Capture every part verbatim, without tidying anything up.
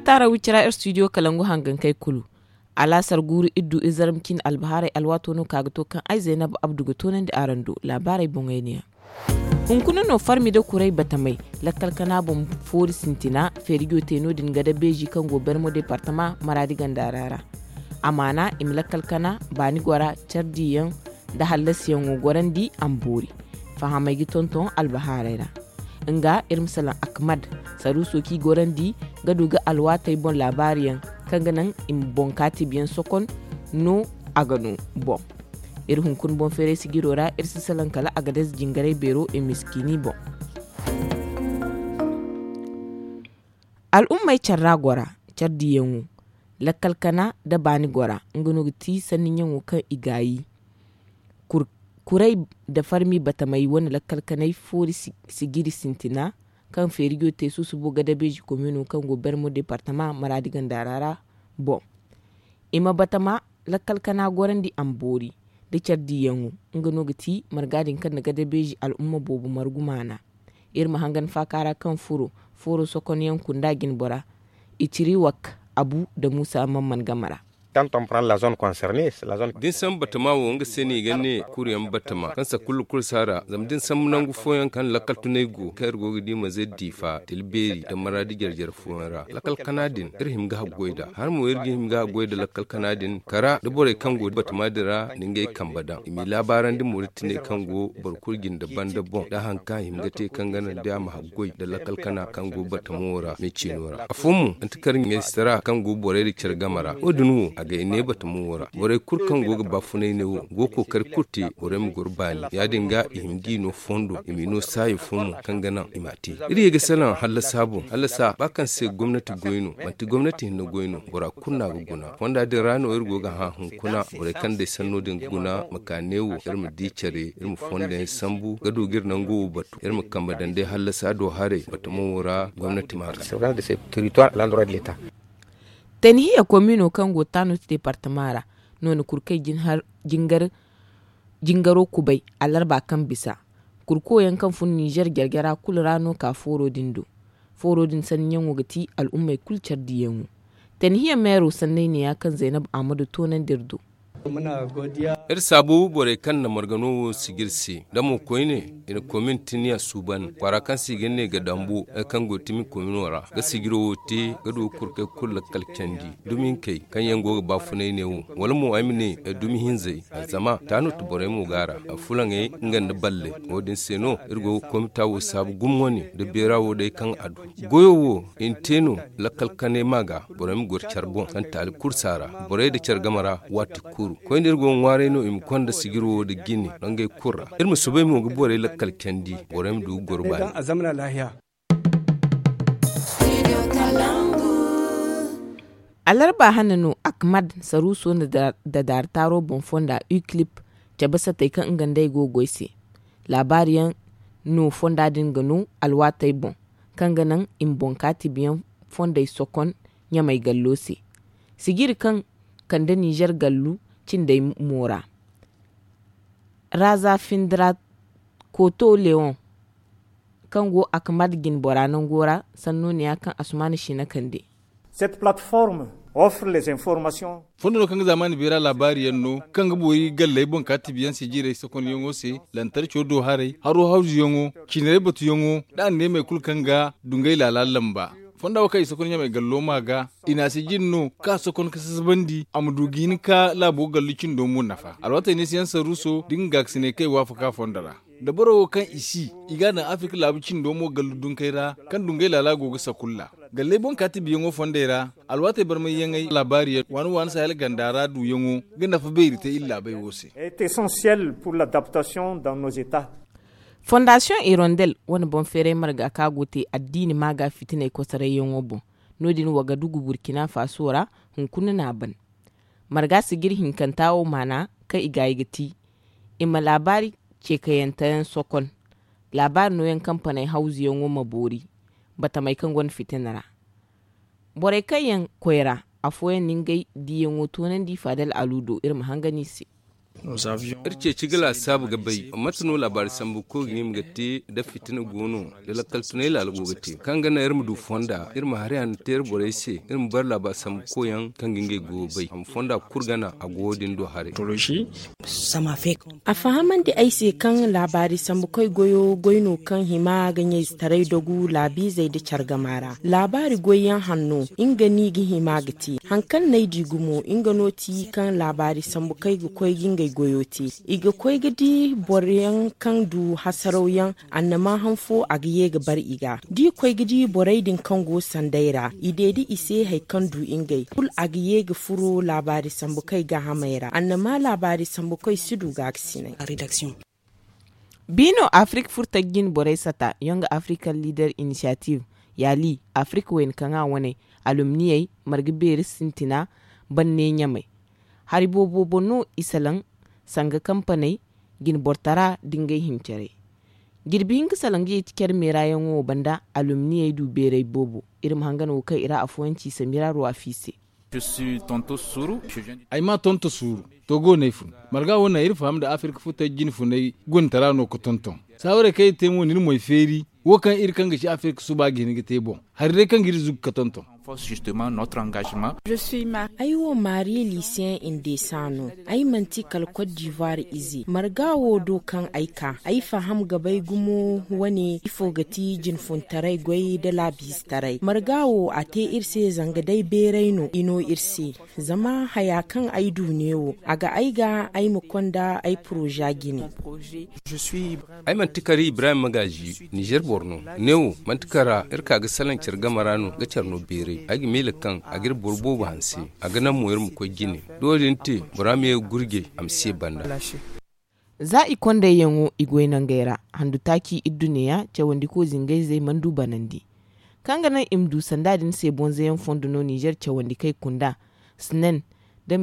Taara wicira ir studio kalangu hangankey kulu. Alaasar guuru iddu izarmcin albahaarey alwaato no ka ga to kaŋ ay zaynab abdu ga toonandi araŋ do. Laabaarey boŋey ne yaŋ. Hunkuna no farmi nda kuray batamey lakkal kana boŋ foori sintina feerijo te no- din gada beeji kaŋ go bermo deepartama maraadi ganda ra ra. Amaana i ma lakkal kana baani gora cardi yaŋ nda hallasi yaŋo gorandi a ma boori. Fahamey ga tonton albahaarey ra. Nga iri ma salaŋ akmad saruuso kaŋ i gorandi ga du ga alwaatey boŋ laabaari yaŋ kaŋ ga naŋ i ma boŋ kaatibi yaŋ sokon no a ga no boŋ. Iri hunkuna boŋ feeray sijiro ra iri si salaŋ kala a ga deeze jingaray beero i miskiini boŋ. Al'ummey care ra gora care diiyaŋo lakkal kana nda baani gora nga no ga ti sanni ɲaŋo kaŋ i gaayi. Kuray nda farmi batamey wane lakkal kanay foori sijiri sintina kaŋ feerijo te susubo gadabeeji komino kaŋ go bermo departama maraadi ganda ra ra boŋ. I ma batama lakkal kana gorandi a ma boori nda care diiyaŋo. Nga no ga ti marga din kaŋ na gadabeeji al'umma boobo margu maana. Iri ma hangan faaka ra kaŋ furo fooro sokonyaŋ kunda jinbora i ciri wak abu nda muusa mamman game ra. Da ni sambu batama wo nga se no i ga ne kuryaŋ batama kaŋ sakulla kulu si a ra zama da ni sambu nangu fooyaŋ kaŋ lakkal tunay go kaŋ iri go ga di mazey diifa tila beeri nda maraadi jare jare fooyaŋ ra lakkal kana din iri hima ga haggoy nd'a hala mo iri ga hima ga haggoy nda lakkal kana din kara da borey kaŋ go batama din ra nda ngey kambe daŋ i m'i laabaarandi mo da tinay kaŋ go boro kulu jinde banda boŋ da hari kaŋ a hima ga te kaŋ ga naŋ day a ma haggoy nda lakkal kana kaŋ go batamo wo ra me ciino ra afo mo manti kar ɲaysi tara kaŋ go borey nda care game ra wo- din wo a ga ay ne batamo wo ra borey kulu kaŋ go ga baafunay ne wo go ga kookari kulu te borey ma goro baani ya- din ga i hima g'i no fondo i m'i no saayo fo mo kaŋ ga naŋ i m'a te. Iri ye ga salaŋ hallasa boŋ hallasa ba kaŋ se gomnati goy no manti gomnati hinne goy no bora kulu no a ga guna fonda din ra no iri go ga hã hunkuna borey kaŋ day sanno din ga guna ma ka neewo iri ma di care iri ma fondo yaŋ sambu ga du ga iri nango wo batu iri ma kambe daŋ day hallasa do haray batamo wo ra gomnati ma a ga. Tanhiya komino kaŋ go taanut departama ra nooni kurkey jingar jingaro kubay alarba kaŋ bisa kurko yaŋ kaŋ fun ninzeer jarjara kulu ra no ka fooro din do. Fooro din sanniyaŋo ga ti al'ummey kulu care diiyaŋo. Tanhiya meero sanney neeya kaŋ zaynab ahmadu toonandi iri do. Iri saabu borey kaŋ na margano wo sijiri se da mo koyne i na komin tiniya suuban kwaara kaŋ se i ga ne ga dambu nga kaŋ go ga timi komino ra ga sijiro wo te ga du ga kurkey kulu lakkal candi dumi hinkey kaŋ yaŋ go ga baafunay ne wo wala mo ay ma ne dumi hinzey zama taanut borey mo go a ra afulaŋey nga nda balley wo- din se no iri go ga komita wo saabu gumo wane nda beera wo day kaŋ a du goyo wo i na te no lakkal kanay ma ga borey ma goro care boŋ kaŋ taali kulu si a ra borey nda care game ra waati kulu koyne iri go ga ŋwaaray no i ma konda sijiri wo nda jine nangey kulu ra iri ma soobay mo ga borey lakkal candi borey ma du ga goro baani. Alarba hane no akmad saruuso nda daartaaro boŋ fonda uclip cabe satey kaŋ nga nd'ey go ga goy se. Laabaari yaŋ no fonda din ga no alwaatey boŋ kaŋ ga naŋ i ma boŋ kaatibiyaŋ fondey sokon ɲamey gallo se. Sijiri kaŋ kande ninzeer gallu cindey mo ra. Raza findira koto lewoŋ kaŋ go akmad jinbora nango ra sanno neeya kaŋ asumaana siina kande. Fondo no kaŋ ga zaamaani beera laabaari yaŋ no kaŋ ga boori galley boŋ kaatibiyaŋ se jiirey sokonyaŋo se lantarco do haray haro hawzuyaŋo ciinarey batuyaŋo nda anneemey kulu kaŋ ga dungay laala lamba. Fonda wo kaŋ i sokon ɲamey gallo ma ga i na a se jine no kaŋ a sokon ga sasabandi a ma du ga hin ka laabo gallu cindo mo nafa alwaatey neesiyaŋ saruuso da nga gaakasiney kaŋ i waafaka fondo ra. Da boro wo kaŋ i si i ga a daŋ afirka laabu cindo mo gallu dunkey ra kaŋ dungay laala go ga sakulla galley boŋ kaati biyaŋo fondey ra. Alwaatey barmayyaŋey laabaari yaŋ waani waani sahel ganda ra duuyaŋo ga nafa beeri te iri laabey wo se. Fondaasiyoŋ irondel wane boŋ feeray marga kaŋ a go te addiini maaga fitiney kosarayyaŋo boŋ. No- din wagadugu burkina faso ra hunkuna no a ban. Marga sijiri hinkanta wo maana kaŋ i gaayi ga ti i ma laabaari ceekayanteyaŋ sokon. Laabaari nooyaŋ kaŋ paney hawzuyaŋo ma boori batamey kaŋ gonda fitina ra. Borey kaŋ yaŋ koyra afooyaŋ na ngey diiyaŋo toonandi faadal alu do iri ma hangan i se. Iri ceeci ga laasaabu ga bay mate no laabaari sambu koy ga hima ga te da fitina go no, da lakkal tunay laala go ga te kaŋ ga naŋ iri ma du fonda, iri ma hari hanno te iri borey se, iri ma bare laabaari sambu koy yaŋ kaŋ ga ngey goyo bay a ma fonda kulu gana a go wo- din do haray. A fahamandi ay se kaŋ laabaari sambu koy goyo goy no kaŋ hima ga ɲayzetaray dagu laabiizey nda care gama ra. Laabaari goy yaŋ hanno nga no i ga hima ga te. Hari kaŋ no ay di gumo nga no ti kaŋ laabaari sambu koy ga koy ga ngey goyo te. I ga koy ga di boro yaŋ kaŋ du hasaraw yaŋ, annama han fo a ga ye ga bare i ga da i koy ga di borey din kaŋ go sanday ra i deedi i se hari kaŋ du ngey kulu a ga ye ga furo laabaari sambu koy gaahamey ra annama laabaari sambu koy si du gaakasinay. Bi no afirik furtaji jine borey sata yonga african leader initiative, yaali afirik wayna kaŋ a wane, alumniyey marga beeri sintina, banne ɲamey. Hari boobo boŋ no i salaŋ sanga kampaney, jine bortara nda ngey hincarey. Jirbi hinka salaŋ ga yeeti care meera yaŋo wo banda alumniyey du beeray boobo. Iri ma hangan wo kaŋ i ra afooyaŋ ci samira ruwafi se. Ay maa tonto suuru. Togo no ay fun. Marga wo naŋ iri faham nda afirka futay jine funay gunitara no ga tonton. Saawarey kaŋ iri te mo na iri moy feeri. Wo kaŋ iri kaŋ ga ci afirka suba ga hin ga te boŋ, hari day kaŋ ga iri zugu ga tonton. Ay wo maari liisiyaŋ indesa no. Ay manti kala kot divuwar ize marga wo do kaŋ ay ka ay faham ga bay gumo. Wane ifo ga ti jinfuntaray goy nda laabiizetaray marga wo a te iri se zanga day beeray no i no iri se. Zama haya kaŋ ay du neewo a ga ay ga ay ma konda ay poroza jine. Ay manti kala ibrahim magaazi, nizer boro no. Neewo manti kala iri ka ga salaŋ care game ra no ga care no beeray ay ga miila kaŋ a ga iri boro boobo hanse. A ga naŋ mo iri ma koy jine. Da wo- din te bora ma ye ga gurjay a ma si ye banda. Za i kondayyaŋo i goy nangey ra handu taaci idduneya cawandiko zingayzey mana du banandi. Kaŋ ga naŋ i ma du sanda din se bonzayaŋ fondo no nizer cawandi kay kunda, snen, da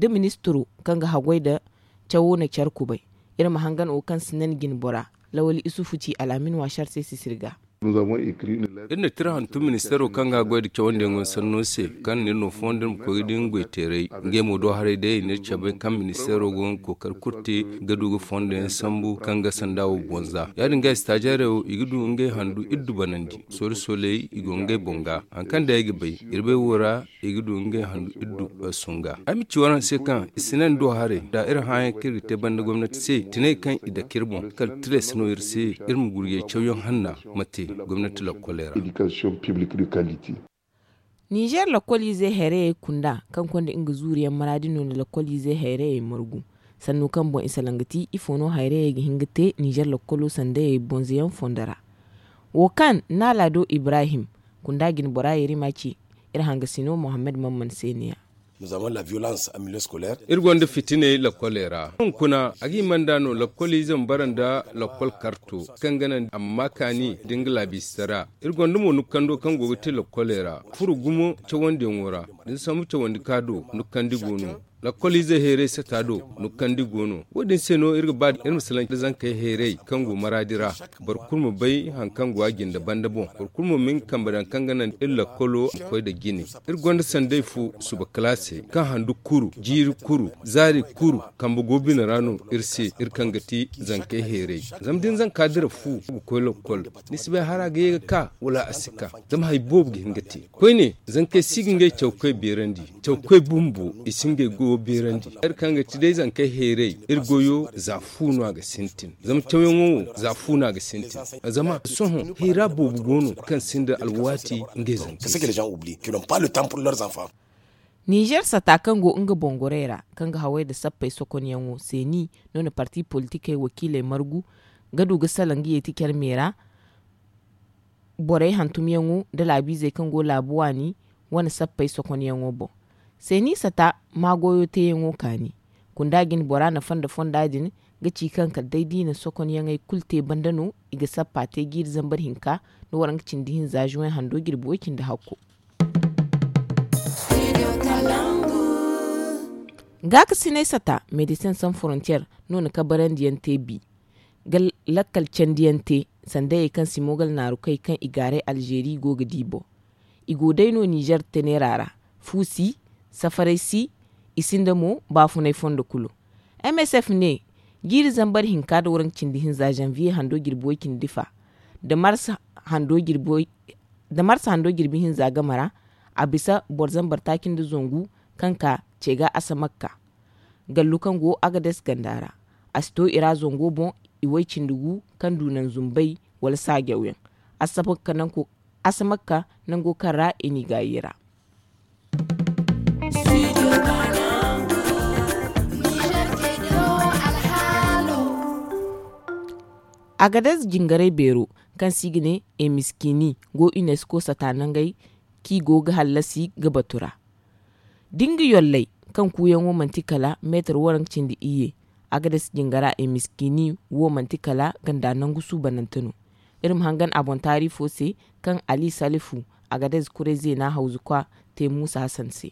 ministiro kaŋ ga haggoy nda cawo na care kubay. Iri ma hangan wo kaŋ snen jine bora, lawali isufu ci al'amin waasar se sisiri ga. Iri na tira hantum ministeero kaŋ ga goy nda cawandiyaŋo sanno se, kaŋ na iri no fondo iri ma koy ga di nga goy teeray. Ngey mo do haray day i na iri cabe kaŋ ministeero go ga kookari kulu te ga du ga fondoyaŋ sambu kaŋ ga sanda wo bonza. Ya- din ga istaajarey wo i ga du ngey handu iddu banandi. Soola sooley i go ngey boŋ ga hari kaŋ day ay ga bay, iri bay wo ra i ga du ngey handu iddu sunga. Ay ma ci waraŋ se kaŋ i si naŋ do haray da iri hããyaŋ kaŋ iri ga te banda gomnati se tinay kaŋ i dake iri boŋ kala tilas no iri se. Iri ma gurjay cawyaŋ hanna ma te gomnati lakkoley ra. Nizer lakkoliizey hayrayey kunda kaŋ konda nga zuuriyaŋ maraadi no na lakkoliizey hayrayey margu. Sannu kaŋ boŋ i salaŋ ga ti ifo no hayrayey ga hin ga te nizer lakkolo sandayey bonzoyaŋ fondo ra. Wo kaŋ naala do ibrahim kunda jine bora yarima ci. Iri hangasino mohammed mamman se ne ya. Iri gonda fitiney lakkoley ra hunkuna a ga hima nd'a no lakkoliize ma bara nda lakkol karto kaŋ ga naŋ a ma ma kaani nda nga laabiisitara. Iri gonda mo nukkando kaŋ go ga te lakkoley ra furo gumo cawandiyaŋo ra. Da ni sambu cawandi ka do nukkandi go no. Lakkoliizey heeray sata do nukkandi go no. Wo- din se no iri ga ba iri ma salaŋ da zankey heeray kaŋ go maraadi ra. Boro kulu ma bay hari kaŋ go a jinde banda boŋ. Boro kulu mo ma nga kambe daŋ kaŋ ga naŋ iri lakkolo ma koy nda jine. Iri gonda sanday fo suba kalaasey kaŋ handu kuru jiiri kuru zaari kuru kambe go bine ra no iri se iri kaŋ ga ti zankey heeray. Zama da ni zanka dira fu ga koy lakkol, ni si bay hara ga ye ga ka wala a si ka. Zama hari boobo ga hin ga te koyne. Zankey si ga ngey cawkoy beerandi. Cawkoy bumbo i si ngey goyo beerandi. Hari kaŋ ga ti day zankey heeray iri goyo za fu no a ga sintin. Zama cawyaŋo wo za fu no a ga sintin. Zama sohõ hayra boobo go no kaŋ sinda alwaati ngey zankey se. Nizer sata kaŋ go nga boŋ gorey ra kaŋ ga haway nda sappey sokonyaŋo seeni no na parti politikey wakiiley margu ga du ga salaŋ ga yeeti care me ra. Borey hantumyaŋo nda laabiizey kaŋ go laabu waani wane sappey sokonyaŋo boŋ. Seeni sata ma goyo teeyaŋo kaani. Kunda jine bora nafa nda fonda din ga ci kaŋ kala day da i na sokonyaŋey kulu te banda no i ga sappa te jiiri zambar hinka nda waranka cindi hinza zuwey hando jirbi way cindi hakko. Gaakasinay sata medecin san frontier no na kabarandiyaŋ te bi ga lakkal candiyaŋ te sandayey kaŋ si mogal naaru kay kaŋ i gaaray alzeeri go ga di boŋ. I go day no nizer tenera ra. Fu si, safaray si, i sinda mo baafunay fondo kulu. M S F ne, jiiri zambar hinka nda waranka cindi hinza zanviye hando jirbi way cindi fa nda mars hando jirbi hinza game ra, a bisa boro zambar taaci nda zangu kaŋ ka ce ga asamakka gallu kaŋ go agades ganda ra. A si to i ra zango boŋ, i way cindi gu kaŋ du naŋ zumbay wala saajaw yaŋ. Asamakka nango kaŋ ra i n'i gaayi ra. Agadez jingaray beero kaŋ se i ga ne emiskini go unesco sata nangey kaŋ i go ga hallasi ga batu ra da nga yolley kaŋ kuuyaŋo manti kala meetar waranka cindi iyye. Agadez jingara emiskini wo manti kala ganda nangu suubanante no. Iri ma hangan a boŋ taari fo se kaŋ ali salifu agadez kuray zeena hawzu kwa te muusa hasan se.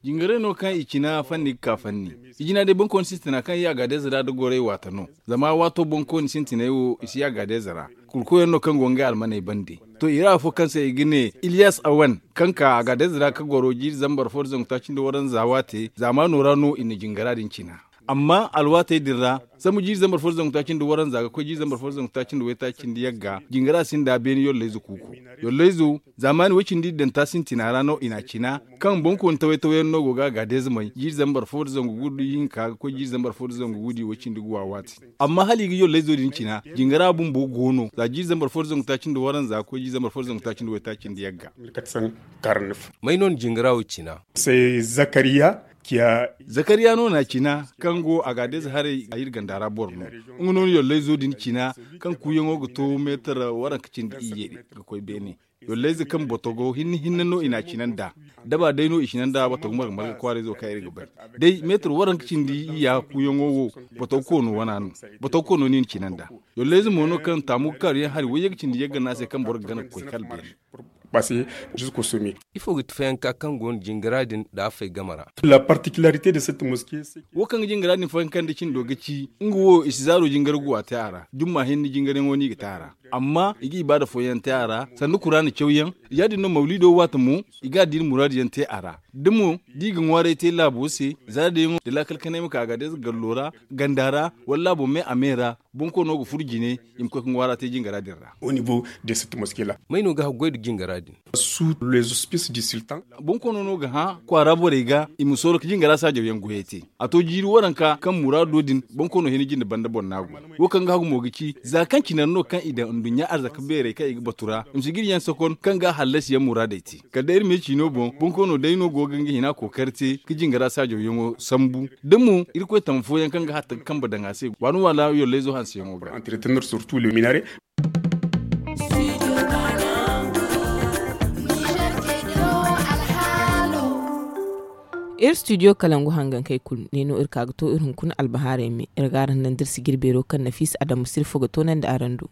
Jingaray no kaŋ i cina fanni ga ka fanni. I jina day boŋkooni sintina kaŋ i agadez ra da goray waata no. Zama waato boŋkooni sintinay wo i si agadez ra. Kurkoyaŋ no kaŋ go ngey almaney bande. To i ra afo kaŋ se i ga ne iliyas awan kaŋ ka agadez ra ka goro jiiri zambar fo da zangu taaci nda waranza waate zaamaano ra no i na jingara din cina. Amma alwaatey din ra sambu jiiri zambar fo da zangu taaci nda waranza ga koy jiiri zambar fo da zangu taaci nda waytaaci nda yagga jingara sinda beene yollayze kuuko. Yollayzo zaamaani way cindi iddanta sintina ra no i n'a cina kaŋ boŋkooni taway-taway yaŋ no go ga a gaadayzamay jiiri zambar fo da zangu guudi hinka ga koy jiiri zambar fo da zangu guudi way cindi guwa waati. Amma hala i ga yollayzo din cina jingara bumbo go no za jiiri zambar fo da zangu taaci nda waranza ga koy jiiri zambar fo da zangu taaci nda waytaaci nda yagga. May no na jingara wo cina? Zakariya no na a cina kaŋ go a ga adayze haray a iri ganda ra boro no. Nga no na yollayzo din cina kaŋ kuuyaŋo ga to meetar waranka cindi iyye ga koy beene. Yollayze kaŋ botogo hinne hinne no i n'a cina nd'a. Daba day no i cina nd'a botogo marga marga kwaarayzo kaŋ iri ga bay day meetar waranka cindi iyya kuuyaŋo wo. Botogo koono wana no. Botogo koono no i na cina nd'a. Yollayze mo no kaŋ taamu ga kaaru yaŋ hari wayye ga cindi yagga no a se kaŋ boro ga gana ga koy kala beene. Ifo ga ti fayanka kaŋ go no jingara din da a fay game ra? Wo kaŋ ga jingara din fayanka nda cindo ga ci nga wo i si zaaro jingar guwa te a ra jumma hinne jingaryaŋo no i ga te a ra. Amma i ga ibaada fooyaŋ te a ra sanda kuraana cawyaŋ. Ya- din no mawliido waate mo i ga addiina muraadu yaŋ te a ra. Da mo da i ga ŋwaaray te laabo se zaara dayaŋo da laakal kanay ma ka a ga day za gallo ra ganda ra wala laabo me a me ra. Boŋ koono ga furo jine i ma koy ga ŋwaara te jingara din ra. May no ga haggoy nda jingara din? Boŋ koono no ga hã kwaara borey ga i ma sooro ga jingara saajaw yaŋ goyey te. A to jiiri waranka kaŋ muraado din boŋ koono hina jinde banda boro no a go. Wo kaŋ ga hagu mo ga ci za kaŋ cine no kaŋ i daŋ nduɲɲa arzaka beerey kaŋ i ga batu ra i ma si ga iri yaŋ sokon kaŋ ga a hallasi yaŋ muraadey te. Kala day iri ma ye ciino boŋ boŋ koono day no go ga nga hina kookari te ga jingara saajaw yaŋo sambu da mo irkoy tama fooyaŋ kaŋ ga hatta ga kambe daŋ a se waani waala yollayzo hanseyaŋo ga. Iri studio kalangu hangankey kulu ne no iri ka ga to iri hunkuna albahaarey me iri ga araŋ naŋ da iri sijir beero kaŋ nafiisa adamu sirfo ga toonandi araŋ do.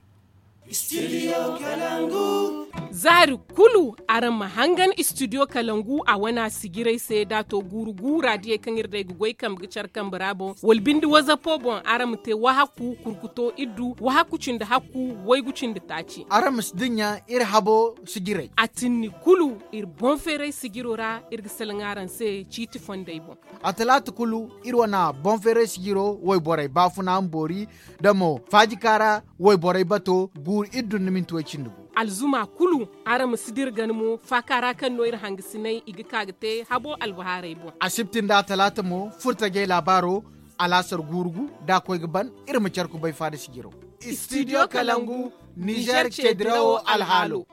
Zaari kulu araŋ ma hangan studio kalangu a wana sijirey se da a to guuru guura diyey kaŋ iri day ga goy kambe ga care kambe ra boŋ wala binde wazapo boŋ araŋ ma te wahaku kurkuto iddu wahaku cindi hakku waygu cindi taaci. Araŋ ma si dinya iri habo sijirey a tinni kulu iri boŋ feeray sijiro ra iri ga salaŋ araŋ se ciiti fondey boŋ. A talaata kulu iri wana boŋ feeray sijiro wayborey baafuna ma boori da mo faajika ra wayborey bato guuru iri dunna minti way cindi gu. Alzuma kulu araŋ ma si dira gana mo faaka ra kaŋ no iri hangasinay i ga ka ga te habo albahaarey boŋ. Asibti nda a talaata mo furtajey laabaaro alaasar guuru gu da a koy ga ban iri ma care kubay faada sijiro. Studio kalangu nizer ceedirawo alhaalo.